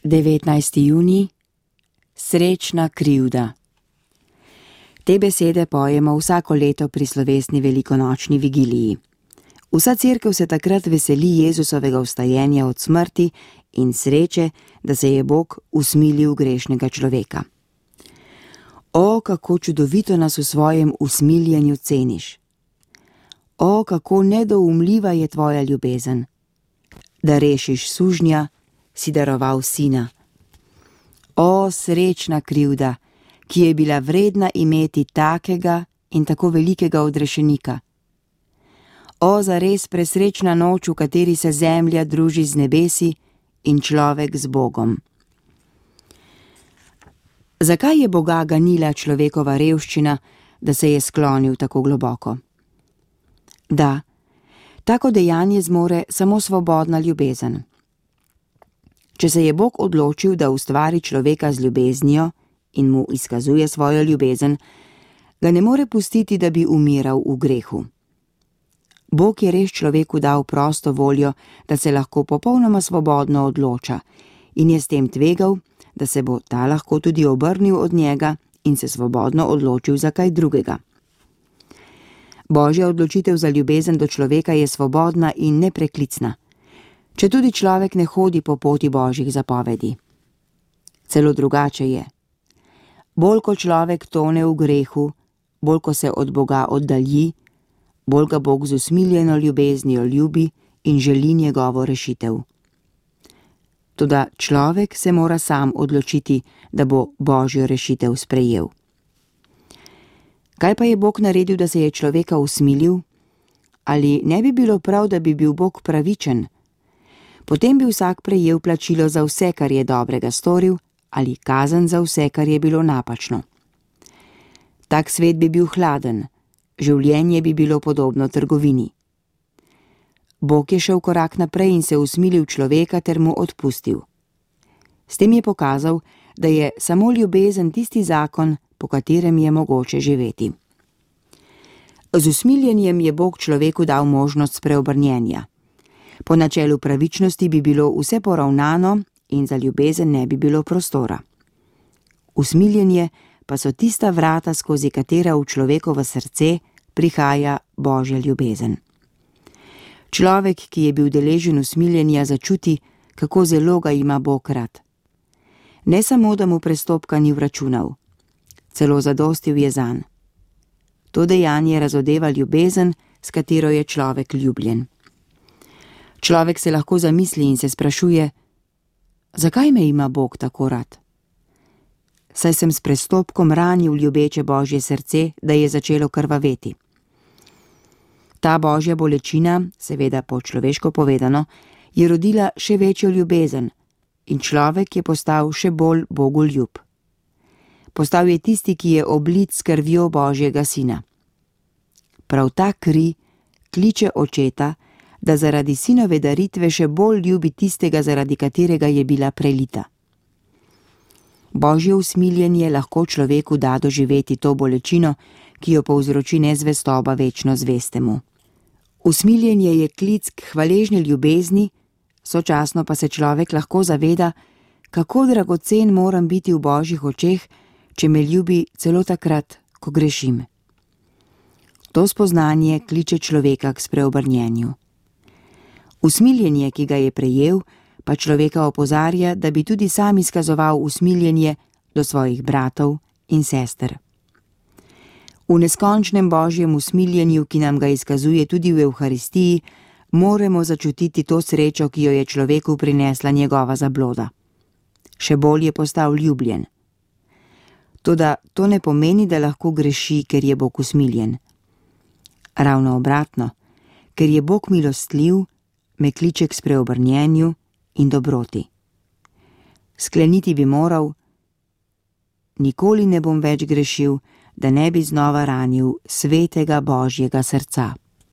19. junij. Srečna krivda. Te besede pojemo vsako leto pri slovesni velikonočni vigiliji. Vsa cerkev se takrat veseli Jezusovega vstajenja od smrti in sreče, da se je Bog usmilil grešnega človeka. O, kako čudovito nas v svojem usmiljenju ceniš! O, kako nedoumljiva je tvoja ljubezen! Da rešiš sužnja, si daroval sina. O, srečna krivda, ki je bila vredna imeti takega in tako velikega odrešenika. O, zares presrečna noč, v kateri se zemlja druži z nebesi in človek z Bogom. Zakaj je Boga ganila človekova revščina, da se je sklonil tako globoko? Da, tako dejanje zmore samo svobodna ljubezen. Če se je Bog odločil, da ustvari človeka z ljubeznijo in mu izkazuje svojo ljubezen, ga ne more pustiti, da bi umiral v grehu. Bog je res človeku dal prosto voljo, da se lahko popolnoma svobodno odloča in je s tem tvegal, da se bo ta lahko tudi obrnil od njega in se svobodno odločil za kaj drugega. Božja odločitev za ljubezen do človeka je svobodna in nepreklicna, če tudi človek ne hodi po poti Božjih zapovedi. Celo drugače je. Bolj ko človek tone v grehu, bolj ko se od Boga oddalji, bolj ga Bog z usmiljeno ljubeznijo ljubi in želi njegovo rešitev. Toda človek se mora sam odločiti, da bo Božjo rešitev sprejel. Kaj pa je Bog naredil, da se je človeka usmilil? Ali ne bi bilo prav, da bi bil Bog pravičen? Potem bi vsak prejel plačilo za vse, kar je dobrega storil, ali kazen za vse, kar je bilo napačno. Tak svet bi bil hladen, življenje bi bilo podobno trgovini. Bog je šel korak naprej in se usmilil človeka ter mu odpustil. S tem je pokazal, da je samo ljubezen tisti zakon, po katerem je mogoče živeti. Z usmiljenjem je Bog človeku dal možnost spreobrnjenja. Po načelu pravičnosti bi bilo vse poravnano in za ljubezen ne bi bilo prostora. Usmiljenje pa so tista vrata, skozi katera v človekovo srce prihaja Božja ljubezen. Človek, ki je bil deležen usmiljenja, začuti, kako zelo ga ima Bog rad. Ne samo, da mu prestopka ni vračunal, celo zadostil je zanj. To dejanje razodeva ljubezen, s katero je človek ljubljen. Človek se lahko zamisli in se sprašuje, zakaj me ima Bog tako rad? Saj sem s prestopkom ranil ljubeče Božje srce, da je začelo krvaveti. Ta Božja bolečina, seveda po človeško povedano, je rodila še večjo ljubezen in človek je postal še bolj bogoljub. Postal je tisti, ki je oblit s krvjo Božjega sina. Prav ta kri kliče očeta, da zaradi sinove daritve še bolj ljubi tistega, zaradi katerega je bila prelita. Božje usmiljenje lahko človeku da doživeti to bolečino, ki jo povzroči nezvestoba večno zvestemu. Usmiljenje je klic k hvaležni ljubezni, sočasno pa se človek lahko zaveda, kako dragocen moram biti v Božjih očeh, če me ljubi celo takrat, ko grešim. To spoznanje kliče človeka k spreobrnjenju. Usmiljenje, ki ga je prejel, pa človeka opozarja, da bi tudi sam izkazoval usmiljenje do svojih bratov in sester. V neskončnem Božjem usmiljenju, ki nam ga izkazuje tudi v Evharistiji, moramo začutiti to srečo, ki jo je človeku prinesla njegova zabloda. Še bolj je postal ljubljen. Toda to ne pomeni, da lahko greši, ker je Bog usmiljen. Ravno obratno, ker je Bog milostljiv, me kliče k spreobrnjenju in dobroti. Skleniti bi moral, nikoli ne bom več grešil, da ne bi znova ranil svetega Božjega srca.